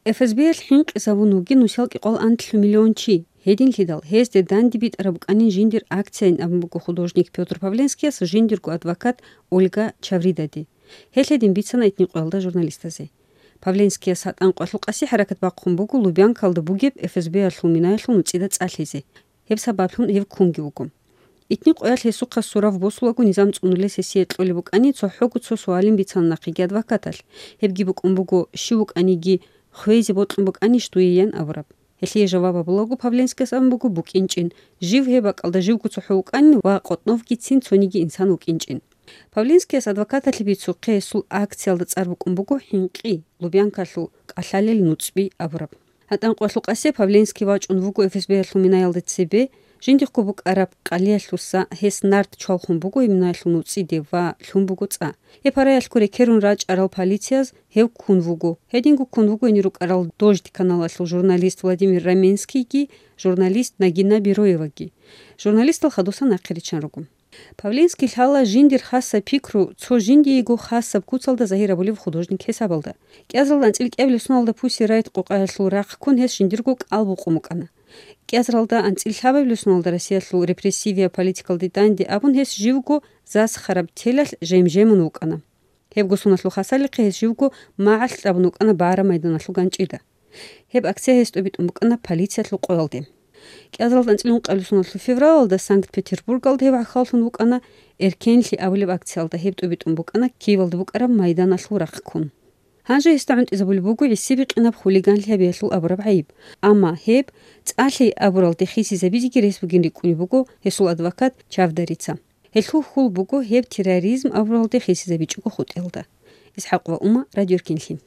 FSB الحين قسابونوغي نوشالك قول أنتل مليون شي هيدين ليدال هيز دي دان ديبيت ربقانين جيندير акциян أبنبوكو художник Петр Павленский с жиндирку адвокат Ольга Чавридади. Хеледин бицана итни қойлда журналистазе. Павленский сатан қойлуқаси харакат баққун бугу Лубян калды бугеб FSB алхуминаялхун уцида цаллизе. Хеб сабаблун хев кунги бугум. Итни қоял хесуқа сурав босулагу низам цунуле сесие тлоли букани цохогу цо суалин бицан нақиги адвокатал. Хеб ги букун бугу шивук аниги хвези ботлун букани штуиян авраб. Хелие жаваба блогу Павленский сам бугу букинчин. Жив хеба калда живку цохогу ани ва қотнов гицин цониги инсан укинчин. Павленский адвоката либицу қесул акциялда царбукун бугу хинқи Лубянкалу калалел нуцби авраб. Атан қойлуқасе Павленский вачун бугу FSB алхуминаялды цебе жиндих кубук араб қалияллуса хес нарт чолхун бугу имнаяллун уциде ва лхун бугу ца. Епараялку рекерун рач арал полицияз хев кун бугу. Хедингу кун бугу инирук арал дождь каналаслу журналист Владимир Раменский ги, журналист Нагина Бироева ги. Журналист алхадуса нақиричан ругум. Павленский лхала жиндир хасса пикру цо жиндиегу хасса куцалда захирабулив художник хесабалда. Кязалдан цилк эвлюсуналда пуси райт қоқаяллу рақ кун хес жиндиргук албу қумукана. Кязралда анцилхабавлюсуналда Россияллу репрессивия политикал дитанди абун хес живгу зас хараб телал жемжемун укана. Хеб гусунаслу хасалиқи хес живгу маал абун укана бара майданаллу ганчида. Хеб акция хес тобит умукана полицияллу қоялди. Кязралда анцилун қалюсуналлу февралда Санкт-Петербург алды хеб ахаллун укана эркенли авлив акциялда хеб тобит умукана кивалды букара майданаллу рақ кун. هانجا يستعنت إذا بلبوكو يسيبق إناب خوليغان لها بيحلو أبراب عيب. أما هيب تسألي أبرال تخيسي زبيزيكي ريس بگين ريكوني بوكو هسول أدوكات چافداريتسا. هلخو خول بوكو هيب تيراريزم أبرال تخيسي زبيجوكو خود إلدا. إسحاق وأمة راديو ركين